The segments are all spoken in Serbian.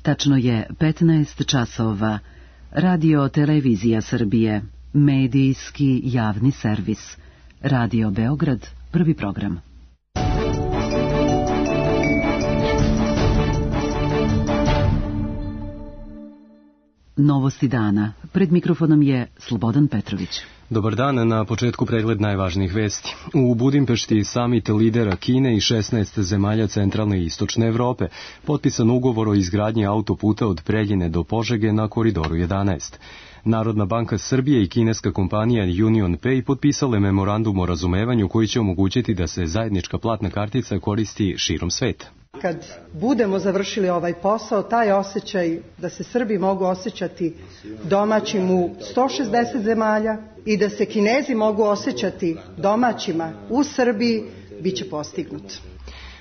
Tačno je 15 časova. Radio Televizija Srbije, medijski javni servis. Radio Beograd, prvi program. Novosti dana. Pred mikrofonom je Slobodan Petrović. Dobar dan, na početku pregled najvažnijih vesti. U Budimpešti samit lidera Kine i 16 zemalja centralne i istočne Evrope, potpisan ugovor o izgradnji autoputa od Preljine do Požege na koridoru 11. Narodna banka Srbije i kineska kompanija Union Pay potpisale memorandum o razumevanju koji će omogućiti da se zajednička platna kartica koristi širom sveta. Kad budemo završili ovaj posao, taj osjećaj da se Srbi mogu osjećati domaćim u 160 zemalja i da se Kinezi mogu osjećati domaćima u Srbiji, bit će postignut.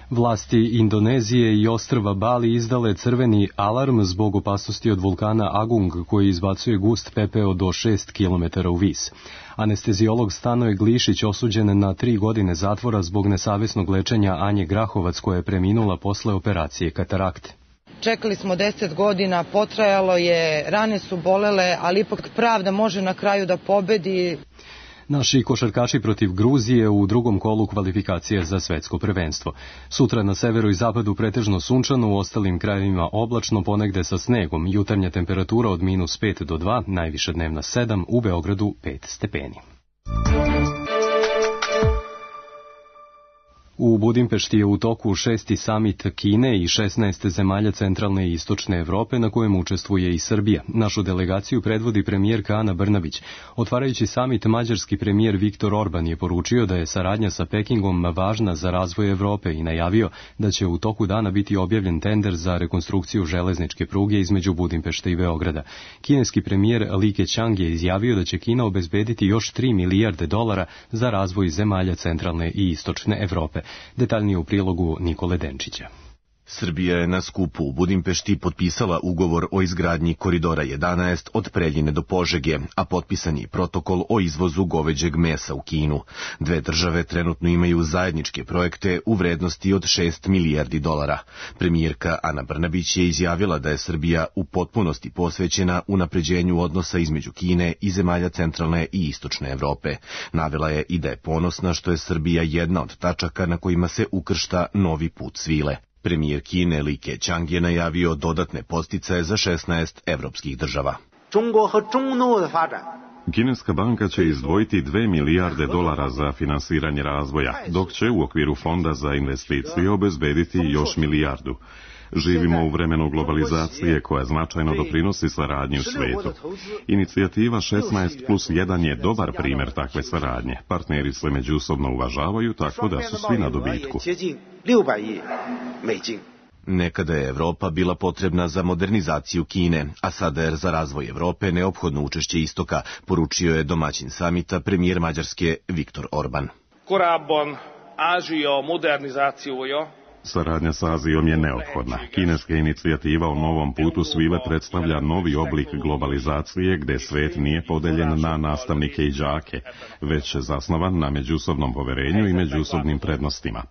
Vlasti Indonezije i ostrva Bali izdale crveni alarm zbog opasnosti od vulkana Agung koji izbacuje gust pepeo do 6 km u vis. Anesteziolog Stanoje Glišić osuđen na 3 godine zatvora zbog nesavesnog lečenja Anje Grahovac koja je preminula posle operacije katarakte. Čekali smo 10 godina, potrajalo je, rane su bolele, ali ipak pravda može na kraju da pobedi. Naši košarkaši protiv Gruzije u drugom kolu kvalifikacije za svetsko prvenstvo. Sutra na severu i zapadu pretežno sunčano, u ostalim krajevima oblačno, ponegde sa snegom. Jutarnja temperatura od -5 do 2, najviša dnevna 7, u Beogradu 5 stepeni. U Budimpešti je u toku 6. samit Kine i 16 zemalja centralne i istočne Evrope na kojem učestvuje i Srbija. Našu delegaciju predvodi premijerka Ana Brnabić. Otvarajući samit, mađarski premijer Viktor Orban je poručio da je saradnja sa Pekingom važna za razvoj Evrope i najavio da će u toku dana biti objavljen tender za rekonstrukciju železničke pruge između Budimpešte i Beograda. Kineski premijer Li Keqiang je izjavio da će Kina obezbediti još 3 milijarde dolara za razvoj zemalja centralne i istočne Evrope. Detaljnije u prilogu Nikole Denčića. Srbija je na skupu u Budimpešti potpisala ugovor o izgradnji koridora 11 od Preljine do Požege, a potpisan je protokol o izvozu goveđeg mesa u Kinu. Dve države trenutno imaju zajedničke projekte u vrednosti od 6 milijardi dolara. Premijerka Ana Brnabić je izjavila da je Srbija u potpunosti posvećena unapređenju odnosa između Kine i zemalja centralne i istočne Evrope. Navela je i da je ponosna što je Srbija jedna od tačaka na kojima se ukršta novi put svile. Premijer Kine Li Keqiang je najavio dodatne podsticaje za 16 evropskih država. Kineska banka će izdvojiti 2 milijarde dolara za finansiranje razvoja, dok će u okviru fonda za investicije obezbediti još milijardu. Živimo u vremenu globalizacije koja značajno doprinosi saradnji u svetu. Inicijativa 16+1 je dobar primjer takve saradnje. Partneri se međusobno uvažavaju tako da su svi na dobitku. Nekada je Evropa bila potrebna za modernizaciju Kine, a sada je za razvoj Evrope neophodno učešće istoka, poručio je domaćin samita premijer Mađarske Viktor Orban. Saradnja s Azijom je neophodna. Kineska inicijativa o novom putu svile predstavlja novi oblik globalizacije gde svet nije podeljen na nastavnike i đake, već zasnovan na međusobnom poverenju i međusobnim prednostima.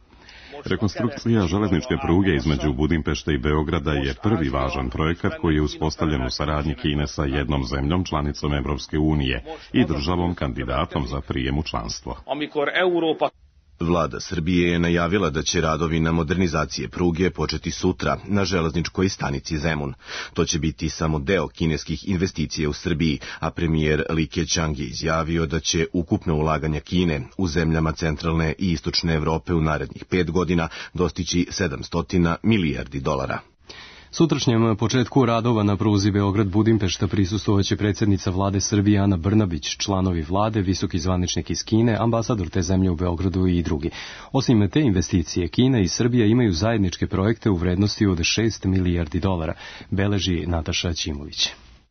Rekonstrukcija železničke pruge između Budimpešte i Beograda je prvi važan projekat koji je uspostavljen u saradnji Kine sa jednom zemljom članicom Evropske unije i državom kandidatom za prijem u članstvo. Vlada Srbije je najavila da će radovi na modernizacije pruge početi sutra na železničkoj stanici Zemun. To će biti samo deo kineskih investicija u Srbiji, a premijer Li Keqiang je izjavio da će ukupno ulaganja Kine u zemljama centralne i istočne Evrope u narednih 5 godina dostići 700 milijardi dolara. Sutrašnjem početku radova na pruzi Beograd-Budimpešta prisustvovaće predsjednica vlade Srbije Ana Brnabić, članovi vlade, visoki zvaničnik iz Kine, ambasador te zemlje u Beogradu i drugi. Osim te investicije, Kina i Srbija imaju zajedničke projekte u vrednosti od 6 milijardi dolara, beleži Nataša Ćimović.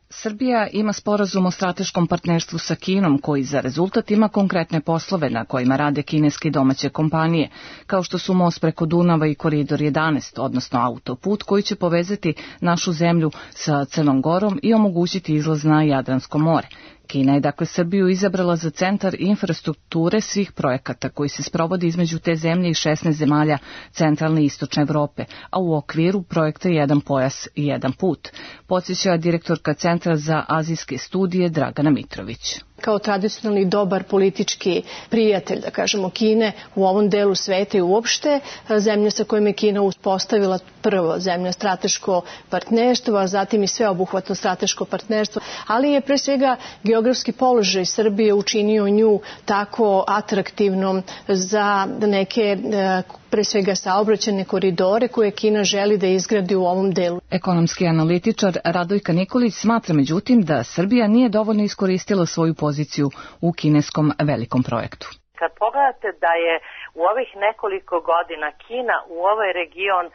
Srbija ima sporazum o strateškom partnerstvu sa Kinom koji za rezultat ima konkretne poslove na kojima rade kineske i domaće kompanije, kao što su most preko Dunava i koridor 11, odnosno autoput koji će povezati našu zemlju sa Crnom Gorom i omogućiti izlaz na Jadransko more. Kina je dakle Srbiju izabrala za centar infrastrukture svih projekata koji se sprovodi između te zemlje i 16 zemalja centralne i istočne Evrope, a u okviru projekta Jedan pojas i jedan put, podsjeća direktorka Centra za azijske studije Dragana Mitrović. Kao tradicionalni dobar politički prijatelj, da kažemo, Kine u ovom delu sveta i uopšte, zemlja sa kojom je Kina uspostavila prvo zemlja strateško partnerstvo, a zatim i sveobuhvatno strateško partnerstvo, ali je pre svega geografski položaj Srbije učinio nju tako atraktivnom za neke pre svega saobraćajne koridore koje Kina želi da izgradi u ovom delu. Ekonomski analitičar Radojka Nikolić smatra međutim da Srbija nije dovoljno iskoristila svoju poziciju u kineskom velikom projektu. Kad pogledate da je u ovih nekoliko godina Kina u ovaj region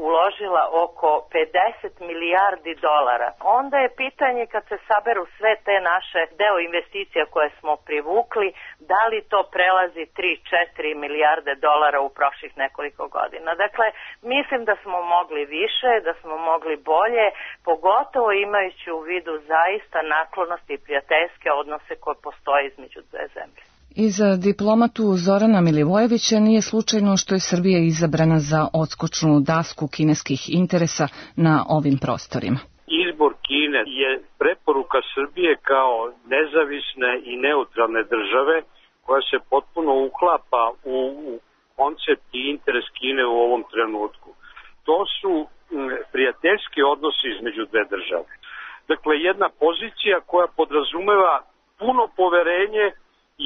uložila oko 50 milijardi dolara, onda je pitanje kad se saberu sve te naše deo investicija koje smo privukli, da li to prelazi 3-4 milijarde dolara u prošlih nekoliko godina. Dakle, mislim da smo mogli više, da smo mogli bolje, pogotovo imajući u vidu zaista naklonosti i prijateljske odnose koje postoje između dve zemlje. I za diplomatu Zorana Milivojevića nije slučajno što je Srbija izabrana za odskočnu dasku kineskih interesa na ovim prostorima. Izbor Kine je preporuka Srbije kao nezavisne i neutralne države koja se potpuno uklapa u koncept i interes Kine u ovom trenutku. To su prijateljski odnosi između dve države. Dakle, jedna pozicija koja podrazumeva puno poverenje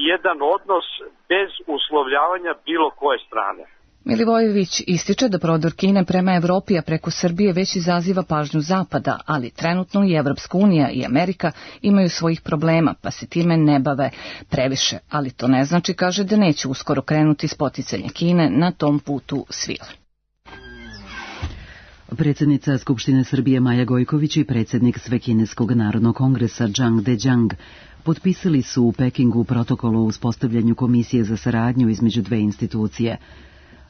i jedan odnos bez uslovljavanja bilo koje strane. Milivojević ističe da prodor Kine prema Evropi, a preko Srbije već izaziva pažnju Zapada, ali trenutno i Evropska unija i Amerika imaju svojih problema, pa se time ne bave previše, ali to ne znači, kaže, da neće uskoro krenuti spoticanje Kine na tom putu svile. Predsjednica Skupštine Srbije Maja Gojković i predsjednik Svekineskog narodnog kongresa Zhang Dejiang potpisali su u Pekingu protokol o uspostavljanju komisije za saradnju između dve institucije.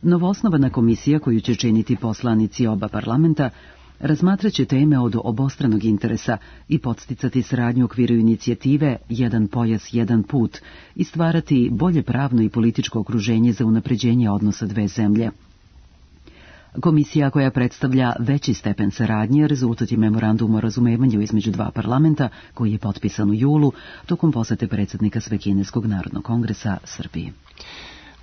Novoosnovana komisija, koju će činiti poslanici oba parlamenta, razmatraće teme od obostranog interesa i podsticati saradnju u okviru inicijative Jedan pojas, jedan put i stvarati bolje pravno i političko okruženje za unapređenje odnosa dve zemlje. Komisija koja predstavlja veći stepen saradnje rezultat je memorandum o razumevanju između dva parlamenta koji je potpisan u julu tokom posete predsjednika Svekineskog narodnog kongresa Srbiji.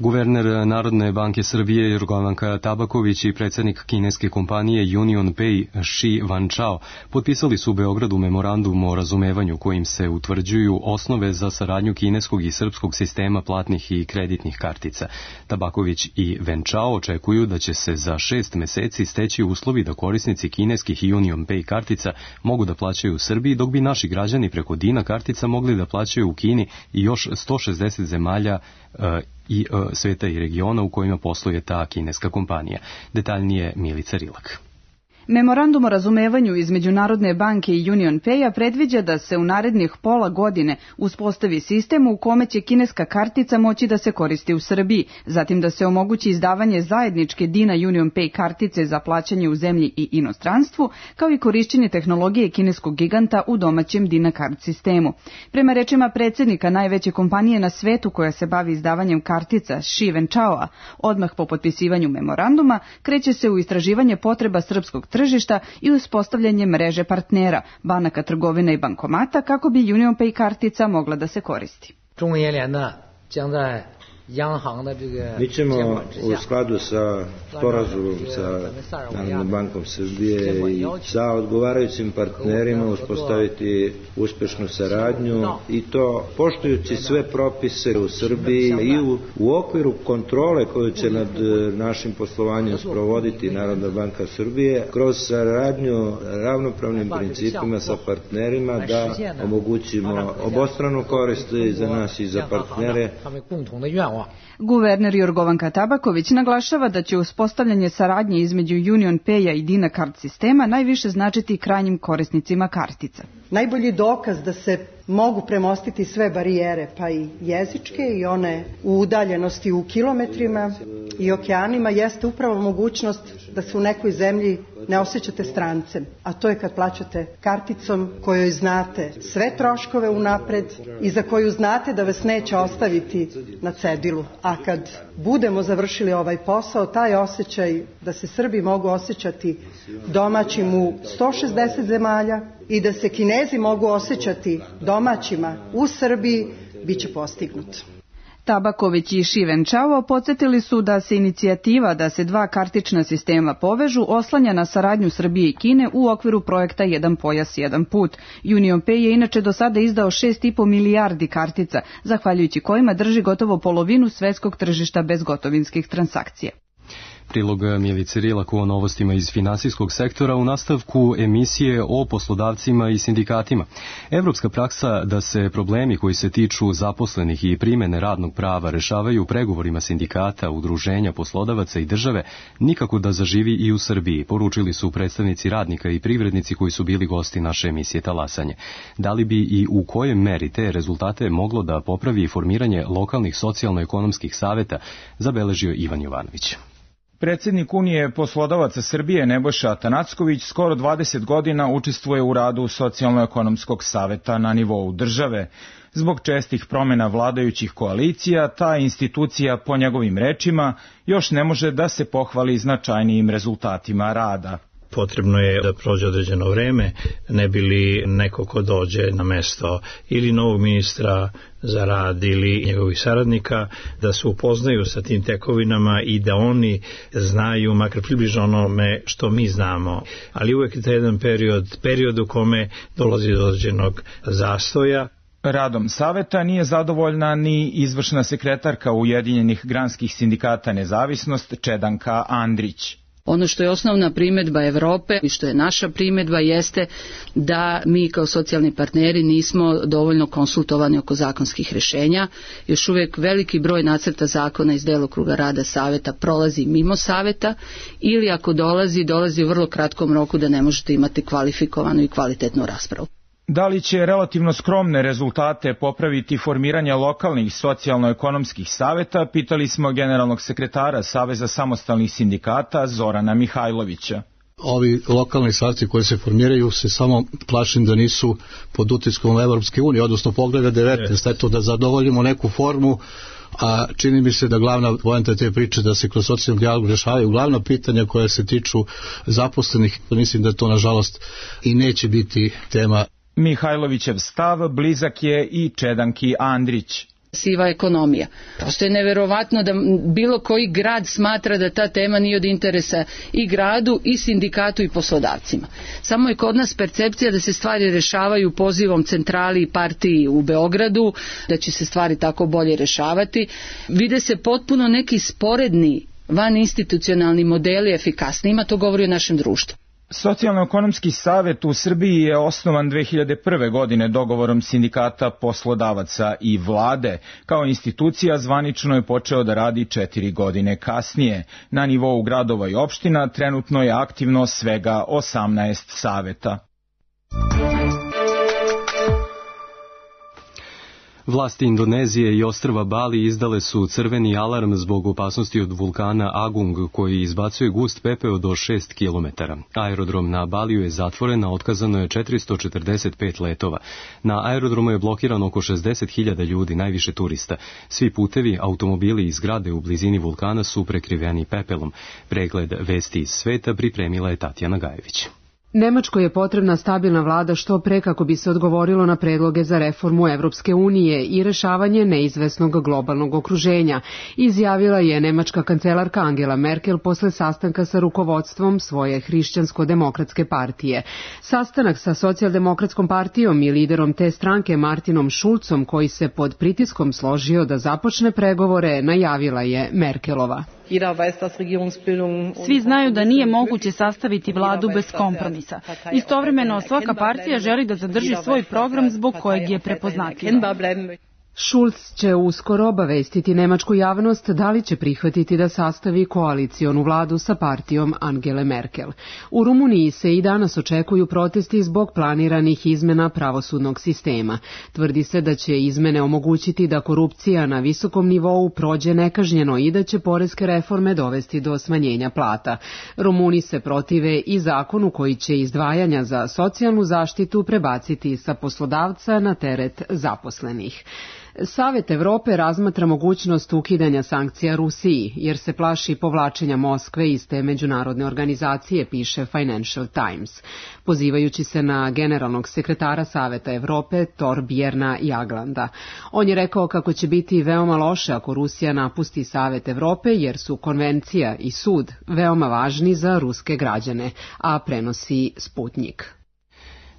Guverner Narodne banke Srbije Jorgovanka Tabaković i predsjednik kineske kompanije Union Pay Shi Wanchao potpisali su u Beogradu memorandum o razumevanju kojim se utvrđuju osnove za saradnju kineskog i srpskog sistema platnih i kreditnih kartica. Tabaković i Wanchao očekuju da će se za 6 meseci steći uslovi da korisnici kineskih Union Pay kartica mogu da plaćaju u Srbiji, dok bi naši građani preko Dina kartica mogli da plaćaju u Kini i još 160 zemalja i sveta i regiona u kojima posluje ta kineska kompanija. Detaljnije Milica Rilak. Memorandum o razumevanju između Narodne banke i Union Pay-a predviđa da se u narednih pola godine uspostavi sistem u kome će kineska kartica moći da se koristi u Srbiji, zatim da se omogući izdavanje zajedničke Dina Union Pay kartice za plaćanje u zemlji i inostranstvu, kao i korišćenje tehnologije kineskog giganta u domaćem Dina kart sistemu. Prema rečima predsjednika najveće kompanije na svetu koja se bavi izdavanjem kartica Shi Wanchao, odmah po potpisivanju memoranduma kreće se u istraživanje potreba srpskog tržišta i uspostavljanje mreže partnera, banaka, trgovina i bankomata kako bi Union Pay kartica mogla da se koristi. Mi ćemo u skladu sa sporazumom sa Narodnom bankom Srbije i sa odgovarajućim partnerima uspostaviti uspešnu saradnju i to poštujući sve propise u Srbiji i u okviru kontrole koju će nad našim poslovanjem sprovoditi Narodna banka Srbije kroz saradnju ravnopravnim principima sa partnerima da omogućimo obostranu korist za nas i za partnere. Guverner Jorgovanka Tabaković naglašava da će uspostavljanje saradnje između Union Pay-a i Dina kart sistema najviše značiti krajnjim korisnicima kartica. Najbolji dokaz da se mogu premostiti sve barijere, pa i jezičke i one u udaljenosti u kilometrima i okeanima, jeste upravo mogućnost da se u nekoj zemlji ne osjećate strancem, a to je kad plaćate karticom kojoj znate sve troškove unapred i za koju znate da vas neće ostaviti na cedilu. A kad budemo završili ovaj posao, taj osjećaj da se Srbi mogu osjećati domaćim u 160 zemalja i da se Kinezi mogu osjećati domaćima u Srbiji, bit će postignut. Tabaković i Šivenčavo podsjetili su da se inicijativa da se dva kartična sistema povežu oslanja na saradnju Srbije i Kine u okviru projekta Jedan pojas, jedan put. UnionPay je inače do sada izdao 6,5 milijardi kartica, zahvaljujući kojima drži gotovo polovinu svetskog tržišta bezgotovinskih transakcija. Prilog Milice Rilak o novostima iz finansijskog sektora u nastavku emisije o poslodavcima i sindikatima. Evropska praksa da se problemi koji se tiču zaposlenih i primene radnog prava rešavaju pregovorima sindikata, udruženja, poslodavaca i države nikako da zaživi i u Srbiji, poručili su predstavnici radnika i privrednici koji su bili gosti naše emisije Talasanje. Da li bi i u kojoj meri te rezultate moglo da popravi formiranje lokalnih socijalno-ekonomskih saveta, zabeležio Ivan Jovanović. Predsjednik Unije poslodavaca Srbije Nebojša Atanacković skoro 20 godina učestvuje u radu Socijalno-ekonomskog saveta na nivou države. Zbog čestih promjena vladajućih koalicija, ta institucija, po njegovim rečima, još ne može da se pohvali značajnijim rezultatima rada. Potrebno je da prođe određeno vreme, ne bi li neko ko dođe na mesto ili novog ministra za rad ili njegovih saradnika, da se upoznaju sa tim tekovinama i da znaju makar približno onome što mi znamo. Ali uvek je taj jedan period u kome dolazi do određenog zastoja. Radom saveta nije zadovoljna ni izvršna sekretarka Ujedinjenih granskih sindikata Nezavisnost Čedanka Andrić. Ono što je osnovna primjedba Evrope i što je naša primjedba jeste da mi kao socijalni partneri nismo dovoljno konsultovani oko zakonskih rješenja. Još uvijek veliki broj nacrta zakona iz delokruga rada saveta prolazi mimo saveta ili ako dolazi u vrlo kratkom roku da ne možete imati kvalifikovanu i kvalitetnu raspravu. Da li će relativno skromne rezultate popraviti formiranje lokalnih socijalno-ekonomskih saveta, pitali smo generalnog sekretara Saveza samostalnih sindikata Zorana Mihajlovića. Ovi lokalni saveti koji se formiraju se samo plašim da nisu pod utiskom Evropske unije, odnosno Pogleda 19, eto da zadovoljimo neku formu, a čini mi se da glavna poenta te priče da se kroz socijalni dijalog rešavaju glavna pitanja koja se tiču zaposlenih. Mislim da to nažalost i neće biti tema. Mihajlovićev stav blizak je i Čedanki Andrić. Siva ekonomija. Prosto je neverovatno da bilo koji grad smatra da ta tema nije od interesa i gradu, i sindikatu, i poslodavcima. Samo je kod nas percepcija da se stvari rešavaju pozivom centrali i partiji u Beogradu, da će se stvari tako bolje rešavati. Vide se potpuno neki sporedni vaninstitucionalni modeli efikasnijima, to govori o našem društvu. Socijalno-ekonomski savet u Srbiji je osnovan 2001. godine dogovorom sindikata, poslodavaca i vlade. Kao institucija zvanično je počeo da radi 4 godine kasnije. Na nivou gradova i opština trenutno je aktivno svega 18 saveta. Vlasti Indonezije i ostrva Bali izdale su crveni alarm zbog opasnosti od vulkana Agung koji izbacuje gust pepeo do 6 km. Aerodrom na Baliju je zatvoren, a otkazano je 445 letova. Na aerodromu je blokirano oko 60.000 ljudi, najviše turista. Svi putevi, automobili i zgrade u blizini vulkana su prekriveni pepelom. Pregled vesti iz sveta pripremila je Tatjana Gajević. Nemačkoj je potrebna stabilna vlada što pre kako bi se odgovorilo na predloge za reformu Evropske unije i rešavanje neizvesnog globalnog okruženja, izjavila je nemačka kancelarka Angela Merkel posle sastanka sa rukovodstvom svoje hrišćansko-demokratske partije. Sastanak sa socijaldemokratskom partijom i liderom te stranke Martinom Schulzom, koji se pod pritiskom složio da započne pregovore, najavila je Merkelova. Svi znaju da nije moguće sastaviti vladu bez kompromisa. Istovremeno svaka partija želi da zadrži svoj program zbog kojeg je prepoznatljiva. Schulz će uskoro obavestiti nemačku javnost da li će prihvatiti da sastavi koalicionu vladu sa partijom Angele Merkel. U Rumuniji se i danas očekuju protesti zbog planiranih izmena pravosudnog sistema. Tvrdi se da će izmene omogućiti da korupcija na visokom nivou prođe nekažnjeno i da će poreske reforme dovesti do smanjenja plata. Rumuni se protive i zakonu koji će izdvajanja za socijalnu zaštitu prebaciti sa poslodavca na teret zaposlenih. Savet Evrope razmatra mogućnost ukidanja sankcija Rusiji, jer se plaši povlačenja Moskve iz te međunarodne organizacije, piše Financial Times, pozivajući se na generalnog sekretara Saveta Evrope Torbjerna Jaglanda. On je rekao kako će biti veoma loše ako Rusija napusti Savet Evrope, jer su konvencija i sud veoma važni za ruske građane, a prenosi Sputnik.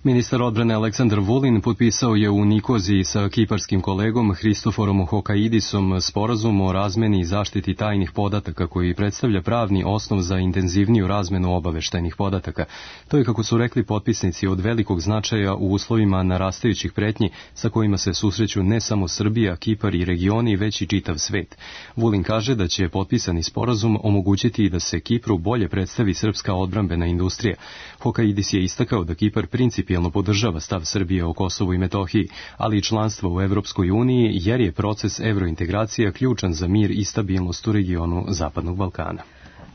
Ministar odbrane Aleksandar Vulin potpisao je u Nikoziji sa kiparskim kolegom Hristoforom Hokaidisom sporazum o razmeni i zaštiti tajnih podataka koji predstavlja pravni osnov za intenzivniju razmenu obaveštajnih podataka. To je, kako su rekli potpisnici, od velikog značaja u uslovima narastajućih pretnji sa kojima se susreću ne samo Srbija, Kipar i regioni, već i čitav svet. Vulin kaže da će potpisani sporazum omogućiti da se Kipru bolje predstavi srpska odbrambena industrija. Hokaidis je istakao da Kipar principijelno podržava stav Srbije o Kosovu i Metohiji, ali i članstvo u Evropskoj uniji, jer je proces evrointegracija ključan za mir i stabilnost u regionu Zapadnog Balkana.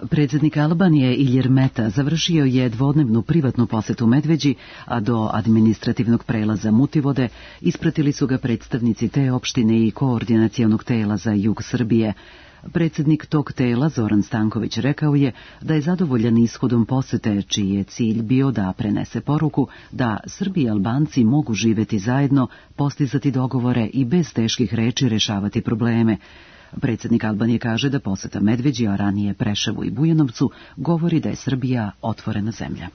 Predsjednik Albanije Ilir Meta završio je dvodnevnu privatnu posetu Medveđi, a do administrativnog prelaza Mutivode ispratili su ga predstavnici te opštine i koordinacionog tela za jug Srbije. Predsjednik tog tela, Zoran Stanković, rekao je da je zadovoljan ishodom posete, čiji je cilj bio da prenese poruku da Srbi i Albanci mogu živeti zajedno, postizati dogovore i bez teških reči rešavati probleme. Predsjednik Albanije kaže da poseta Medveđi, a ranije Preševu i Bujanovcu, govori da je Srbija otvorena zemlja.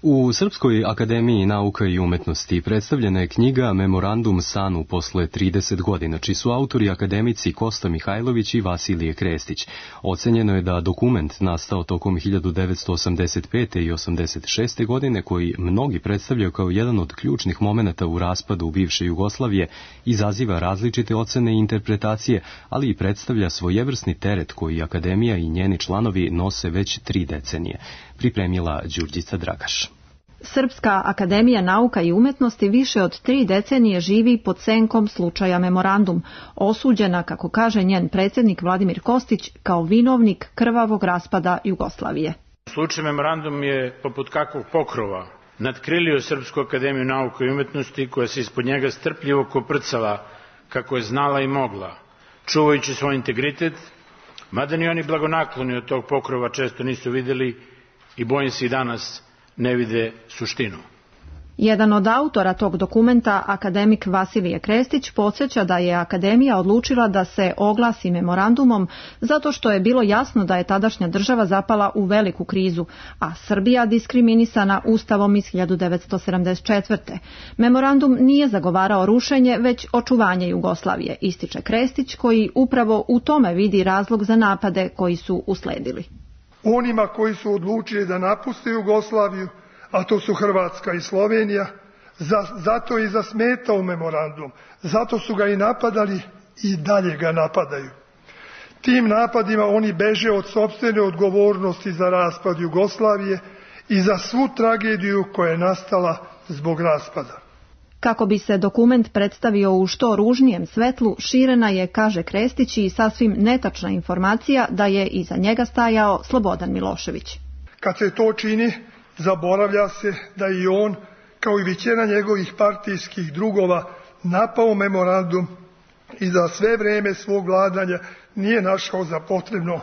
U Srpskoj akademiji nauka i umetnosti predstavljena je knjiga Memorandum Sanu posle 30 godina, čiji su autori akademici Kosta Mihajlović i Vasilije Krestić. Ocenjeno je da dokument nastao tokom 1985. i 86. godine, koji mnogi predstavljaju kao jedan od ključnih momenata u raspadu bivše Jugoslavije, izaziva različite ocene i interpretacije, ali i predstavlja svojevrsni teret koji akademija i njeni članovi nose već 3 decenije. Pripremila Đurđica Dragaš. Srpska akademija nauka i umetnosti više od 3 decenije živi pod senkom slučaja Memorandum, osuđena, kako kaže njen predsjednik Vladimir Kostić, kao vinovnik krvavog raspada Jugoslavije. Slučaj Memorandum je poput kakvog pokrova nadkrilio Srpsku akademiju nauka i umetnosti, koja se ispod njega strpljivo koprcala kako je znala i mogla, čuvajući svoj integritet, mada ni oni blagonakloni od tog pokrova često nisu vidjeli i bojim se i danas ne vide suštinu. Jedan od autora tog dokumenta, akademik Vasilije Krestić, podsjeća da je akademija odlučila da se oglasi memorandumom zato što je bilo jasno da je tadašnja država zapala u veliku krizu, a Srbija diskriminisana Ustavom iz 1974. Memorandum nije zagovarao rušenje, već očuvanje Jugoslavije, ističe Krestić, koji upravo u tome vidi razlog za napade koji su usledili. Onima koji su odlučili da napuste Jugoslaviju, a to su Hrvatska i Slovenija, zato je i zasmetao memorandum, zato su ga i napadali i dalje ga napadaju. Tim napadima oni beže od sopstvene odgovornosti za raspad Jugoslavije i za svu tragediju koja je nastala zbog raspada. Kako bi se dokument predstavio u što ružnijem svetlu, širena je, kaže Krestić, i sasvim netačna informacija da je iza njega stajao Slobodan Milošević. Kad se to čini, zaboravlja se da i on, kao i većina njegovih partijskih drugova, napao memorandum i za sve vreme svog vladanja nije našao za potrebno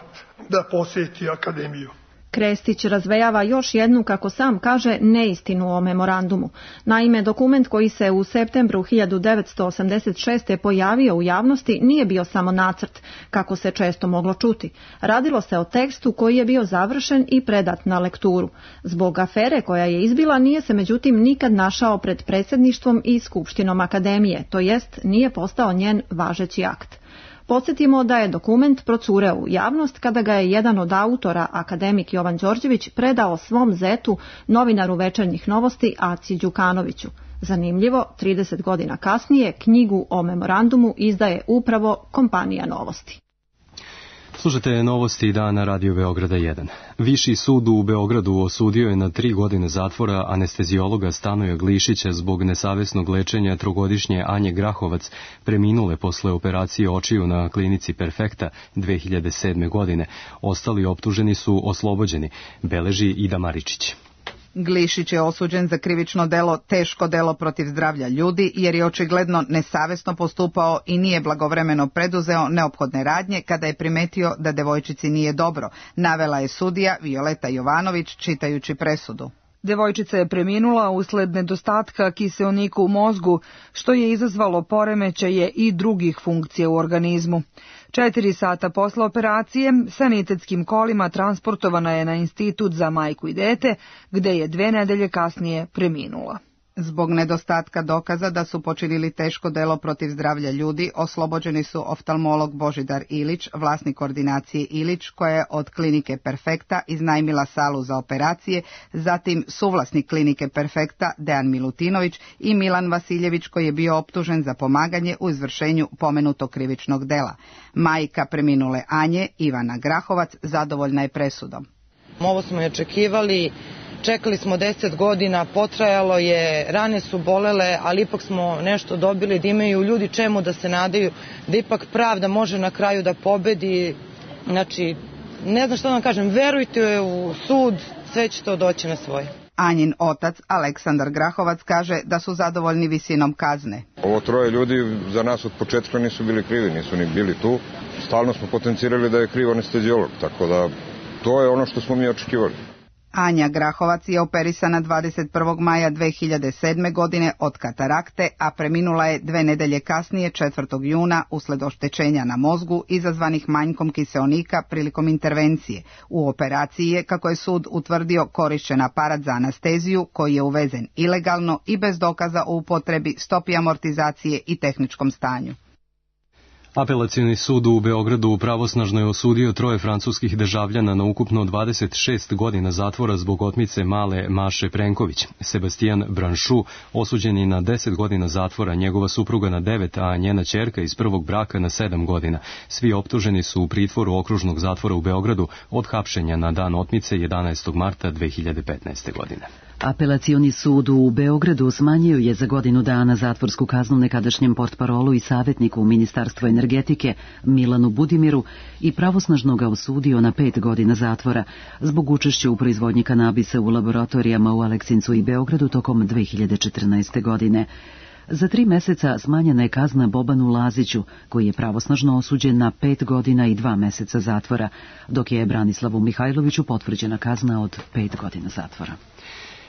da posjeti akademiju. Krestić razvejava još jednu, kako sam kaže, neistinu o memorandumu. Naime, dokument koji se u septembru 1986. pojavio u javnosti nije bio samo nacrt, kako se često moglo čuti. Radilo se o tekstu koji je bio završen i predat na lekturu. Zbog afere koja je izbila nije se međutim nikad našao pred predsjedništvom i skupštinom akademije, to jest nije postao njen važeći akt. Podsjetimo da je dokument procureo u javnost kada ga je jedan od autora, akademik Jovan Đorđević, predao svom zetu, novinaru Večernjih novosti Aci Đukanoviću. Zanimljivo, 30 godina kasnije knjigu o memorandumu izdaje upravo kompanija Novosti. Slušajte novosti dana Radio Beograda 1. Viši sud u Beogradu osudio je na 3 godine zatvora anestezijologa Stanoja Glišića zbog nesavesnog lečenja trogodišnje Anje Grahovac, preminule posle operacije očiju na klinici Perfekta 2007. godine. Ostali optuženi su oslobođeni, beleži Ida Maričić. Glišić je osuđen za krivično delo teško delo protiv zdravlja ljudi jer je očigledno nesavesno postupao i nije blagovremeno preduzeo neophodne radnje kada je primetio da devojčici nije dobro, navela je sudija Violeta Jovanović čitajući presudu. Devojčica je preminula usled nedostatka kiseonika u mozgu, što je izazvalo poremećaje i drugih funkcija u organizmu. 4 sata posle operacije sanitetskim kolima transportovana je na Institut za majku i dete, gde je 2 nedelje kasnije preminula. Zbog nedostatka dokaza da su počinili teško delo protiv zdravlja ljudi, oslobođeni su oftalmolog Božidar Ilić, vlasnik ordinacije Ilić, koja je od klinike Perfekta iznajmila salu za operacije, zatim suvlasnik klinike Perfekta Dejan Milutinović i Milan Vasiljević, koji je bio optužen za pomaganje u izvršenju pomenutog krivičnog dela. Majka preminule Anje, Ivana Grahovac, zadovoljna je presudom. Ovo smo i očekivali. Čekali smo 10 godina, potrajalo je, rane su bolele, ali ipak smo nešto dobili, da imaju ljudi čemu da se nadaju, da ipak pravda može na kraju da pobedi. Znači, ne znam što da vam kažem, verujte u sud, sve će to doći na svoje. Anjin otac, Aleksandar Grahovac, kaže da su zadovoljni visinom kazne. Ovo 3 ljudi za nas od početka nisu bili krivi, nisu ni bili tu. Stalno smo potencirali da je kriv anestezijolog, tako da to je ono što smo mi očekivali. Anja Grahovac je operisana 21. maja 2007. godine od katarakte, a preminula je 2 nedelje kasnije 4. juna usled oštećenja na mozgu izazvanih manjkom kiseonika prilikom intervencije. U operaciji je, kako je sud utvrdio, korišćen aparat za anesteziju koji je uvezen ilegalno i bez dokaza o upotrebi, stopi amortizacije i tehničkom stanju. Apelacioni sud u Beogradu pravosnažno je osudio 3 francuskih državljana na ukupno 26 godina zatvora zbog otmice male Maše Prenković. Sebastian Branšu osuđen je na 10 godina zatvora, njegova supruga na 9, a njena ćerka iz prvog braka na 7 godina. Svi optuženi su u pritvoru okružnog zatvora u Beogradu od hapšenja na dan otmice 11. marta 2015. godine. Apelacioni sud u Beogradu smanjio je za godinu dana zatvorsku kaznu nekadašnjem portparolu i savjetniku u Ministarstvu energetike Milanu Budimiru i pravosnažno ga osudio na 5 godina zatvora zbog učešća u proizvodnji kanabisa u laboratorijama u Aleksincu i Beogradu tokom 2014. godine. Za 3 meseca smanjena je kazna Bobanu Laziću, koji je pravosnažno osuđen na 5 godina i 2 meseca zatvora, dok je Branislavu Mihajloviću potvrđena kazna od 5 godina zatvora.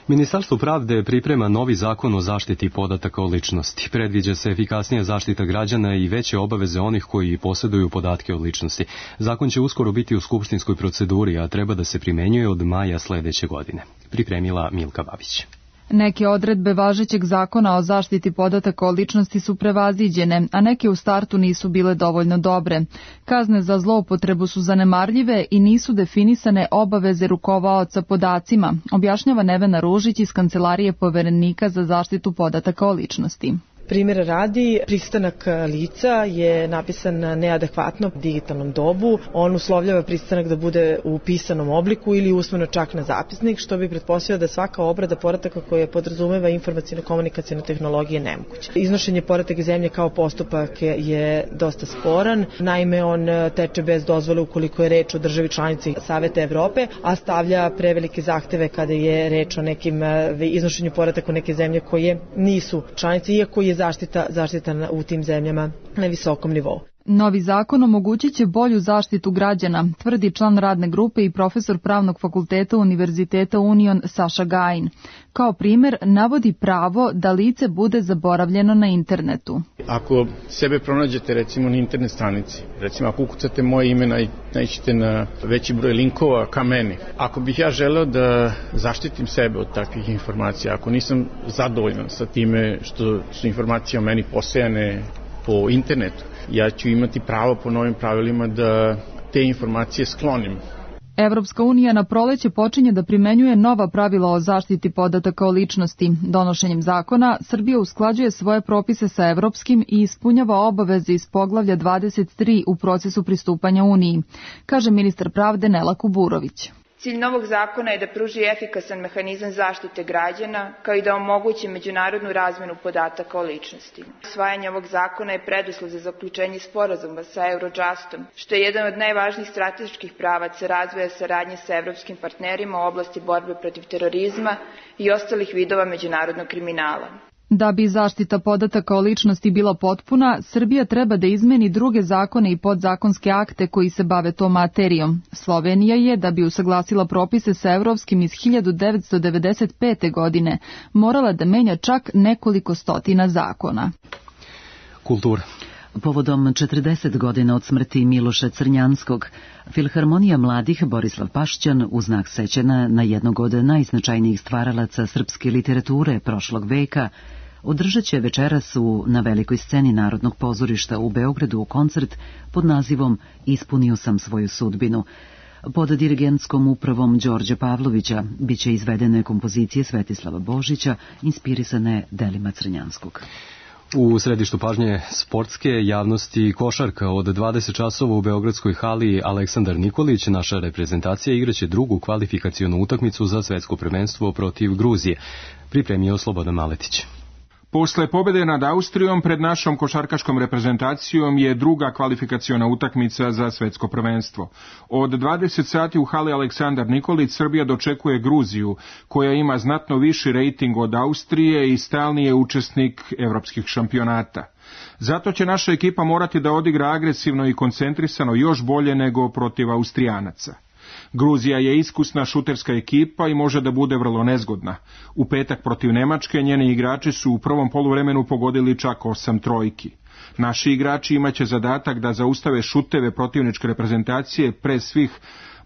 Ministarstvo pravde priprema novi zakon o zaštiti podataka o ličnosti. Predviđa se efikasnija zaštita građana i veće obaveze onih koji posjeduju podatke o ličnosti. Zakon će uskoro biti u skupštinskoj proceduri, a treba da se primenjuje od maja sledeće godine. Pripremila Milka Babić. Neke odredbe važećeg zakona o zaštiti podataka o ličnosti su prevaziđene, a neke u startu nisu bile dovoljno dobre. Kazne za zloupotrebu su zanemarljive i nisu definisane obaveze rukovaoca podacima, objašnjava Nevena Ružić iz Kancelarije Poverenika za zaštitu podataka o ličnosti. Primjer radi, pristanak lica je napisan neadekvatno u digitalnom dobu. On uslovljava pristanak da bude u pisanom obliku ili usmeno čak na zapisnik, što bi pretpostavljao da svaka obrada podataka koja podrazumeva informacijno-komunikacijne tehnologije nemoguće. Iznošenje podataka iz zemlje kao postupak je dosta sporan. Naime, on teče bez dozvole ukoliko je reč o državi članici Saveta Evrope, a stavlja prevelike zahteve kada je reč o nekim iznošenju podataka u neke zemlje koje nisu članice, iako je zaštita u tim zemljama na visokom nivou. Novi zakon omogućit će bolju zaštitu građana, tvrdi član radne grupe i profesor Pravnog fakulteta Univerziteta Union Saša Gajin. Kao primer navodi pravo da lice bude zaboravljeno na internetu. Ako sebe pronađete recimo na internet stranici, recimo ako ukucate moje ime, naiđete na veći broj linkova ka meni. Ako bih ja želeo da zaštitim sebe od takvih informacija, ako nisam zadovoljan sa time što su informacije o meni posejane po internetu, ja ću imati pravo po novim pravilima da te informacije sklonim. Evropska unija na proleće počinje da primenjuje nova pravila o zaštiti podataka o ličnosti. Donošenjem zakona, Srbija usklađuje svoje propise sa evropskim i ispunjava obaveze iz poglavlja 23 u procesu pristupanja Uniji, kaže ministar pravde Nela Kuburović. Cilj novog zakona je da pruži efikasan mehanizam zaštite građana, kao i da omogući međunarodnu razmenu podataka o ličnosti. Usvajanje ovog zakona je preduslov za zaključenje sporazuma sa Eurojustom, što je jedan od najvažnijih strateških pravaca razvoja saradnje sa evropskim partnerima u oblasti borbe protiv terorizma i ostalih vidova međunarodnog kriminala. Da bi zaštita podataka o ličnosti bila potpuna, Srbija treba da izmeni druge zakone i podzakonske akte koji se bave tom materijom. Slovenija je, da bi usaglasila propise sa evropskim iz 1995. godine, morala da menja čak nekoliko stotina zakona. Kultura. Povodom 40 godina od smrti Miloša Crnjanskog, Filharmonija mladih Borislav Pašćan u znak sećanja na jednog od najznačajnijih stvaralaca srpske literature prošlog veka održat će večeras na velikoj sceni Narodnog pozorišta u Beogradu koncert pod nazivom Ispunio sam svoju sudbinu. Pod dirigentskom upravom Đorđa Pavlovića biće izvedene kompozicije Svetislava Božića inspirisane delima Crnjanskog. U središtu pažnje sportske javnosti košarka od 20 časova u Beogradskoj hali Aleksandar Nikolić, naša reprezentacija, igraće drugu kvalifikacionu utakmicu za svetsko prvenstvo protiv Gruzije. Pripremio Slobodan Maletić. Posle pobede nad Austrijom pred našom košarkaškom reprezentacijom je druga kvalifikaciona utakmica za svetsko prvenstvo. Od 20 sati u hali Aleksandar Nikolić Srbija dočekuje Gruziju, koja ima znatno viši rejting od Austrije i stalni je učesnik evropskih šampionata. Zato će naša ekipa morati da odigra agresivno i koncentrisano još bolje nego protiv Austrijanaca. Gruzija je iskusna šuterska ekipa i može da bude vrlo nezgodna. U petak protiv Nemačke njeni igrači su u prvom poluvremenu pogodili čak 8 trojki. Naši igrači imaće zadatak da zaustave šuteve protivničke reprezentacije, pre svih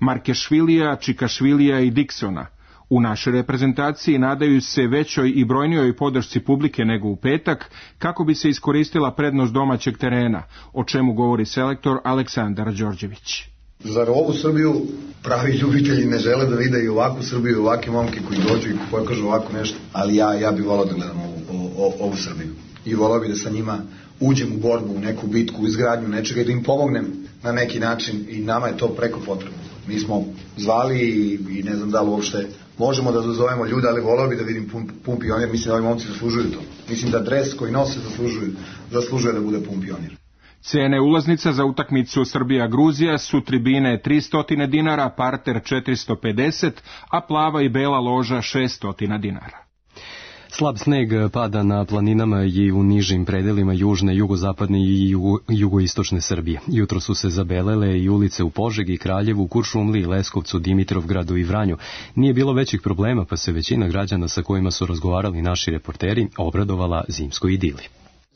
Markešvilija, Čikašvilija i Diksona. U našoj reprezentaciji nadaju se većoj i brojnijoj podršci publike nego u petak, kako bi se iskoristila prednost domaćeg terena, o čemu govori selektor Aleksandar Đorđević. Zar ovu Srbiju pravi ljubitelji ne žele da vide i ovakvu Srbiju i ovakve momke koji dođu i pokažu ovako nešto, ali ja bih volao da gledam ovu Srbiju i volao bih da sa njima uđem u borbu, u neku bitku, u izgradnju nečega i da im pomognem na neki način i nama je to preko potrebno. Mi smo zvali i ne znam da li uopšte možemo da dozovemo ljude, ali volao bih da vidim pun pionir, mislim da ovi momci zaslužuju to. Mislim da dres koji nose zaslužuje da bude pun pionir. Cene ulaznica za utakmicu Srbija-Gruzija su tribine 300 dinara, parter 450, a plava i bela loža 600 dinara. Slab sneg pada na planinama i u nižim predelima južne, jugozapadne i jugoistočne Srbije. Jutro su se zabelele i ulice u Požegi, Kraljevu, Kuršumliji, Leskovcu, Dimitrovgradu i Vranju. Nije bilo većih problema, pa se većina građana sa kojima su razgovarali naši reporteri obradovala zimskoj idili.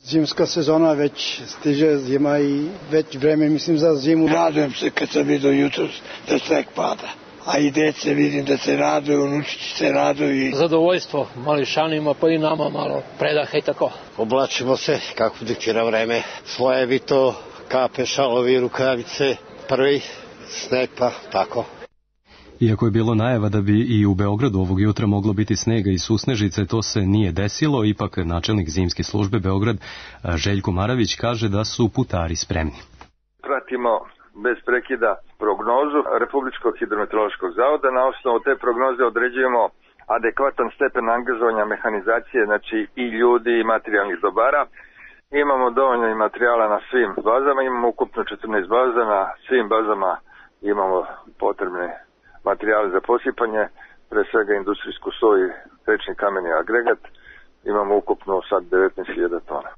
Zimska sezona već stiže, zima i već vreme mislim za zimu. Radujem se kad sam vidio jutros da sneg pada. A i dece vidim da se raduju, unučići se raduju. Zadovoljstvo mališanima pa i nama malo predaha i tako. Oblačimo se kako diktira vreme. Slojevito, kape, šalovi, rukavice, prvi sneg pa tako. Iako je bilo najava da bi i u Beogradu ovog jutra moglo biti snega i susnežice, to se nije desilo. Ipak načelnik zimske službe Beograd Željko Maravić kaže da su putari spremni. Pratimo bez prekida prognozu Republičkog hidrometeorološkog zavoda. Na osnovu te prognoze određujemo adekvatan stepen angažovanja mehanizacije, znači i ljudi i materijalnih dobara. Imamo dovoljno i materijala na svim bazama, imamo ukupno 14 baza, na svim bazama imamo potrebne materijale za posipanje, pre svega industrijsku soju i tečni kameni agregat, imamo ukupno sad 19.000 tona.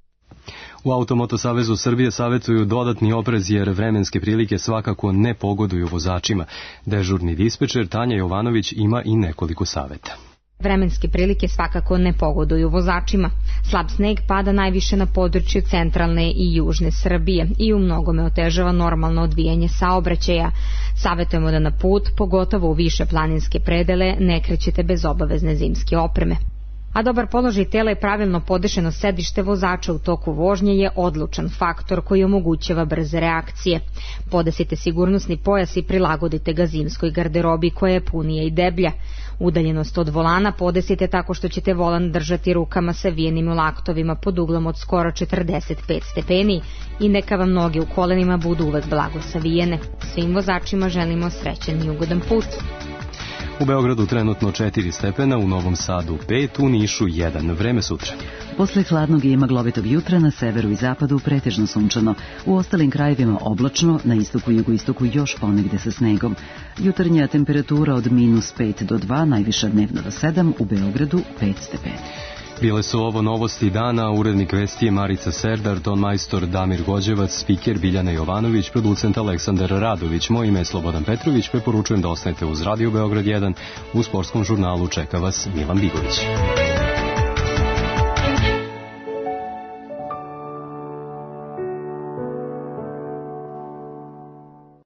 U Automoto Savezu Srbije savjetuju dodatni oprez jer vremenske prilike svakako ne pogoduju vozačima. Dežurni dispečer Tanja Jovanović ima i nekoliko savjeta. Vremenske prilike svakako ne pogoduju vozačima. Slab sneg pada najviše na području centralne i južne Srbije i u mnogome otežava normalno odvijanje saobraćaja. Savjetujemo da na put, pogotovo u više planinske predele, ne krećete bez obavezne zimske opreme. A dobar položaj tela i pravilno podešeno sedište vozača u toku vožnje je odlučan faktor koji omogućava brze reakcije. Podesite sigurnosni pojas i prilagodite ga zimskoj garderobi koja je punija i deblja. Udaljenost od volana podesite tako što ćete volan držati rukama savijenim u laktovima pod uglom od skoro 45 stepeni i neka vam noge u kolenima budu uvek blago savijene. Svim vozačima želimo srećan i ugodan put. U Beogradu trenutno 4 stepena, u Novom Sadu 5, u Nišu 1. Vreme sutra. Posle hladnog i maglovitog jutra na severu i zapadu pretežno sunčano. U ostalim krajevima oblačno, na istoku i jugoistoku još ponegde sa snegom. Jutarnja temperatura od -5 do 2, najviša dnevno do 7, u Beogradu 5 stepeni. Bile su ovo novosti dana, urednik vesti je Marica Serdar, ton majstor Damir Gođevac, spiker Biljana Jovanović, producent Aleksandar Radović, moje ime je Slobodan Petrović, preporučujem da ostanete uz Radio Beograd 1, u sportskom žurnalu čeka vas Milan Bigović.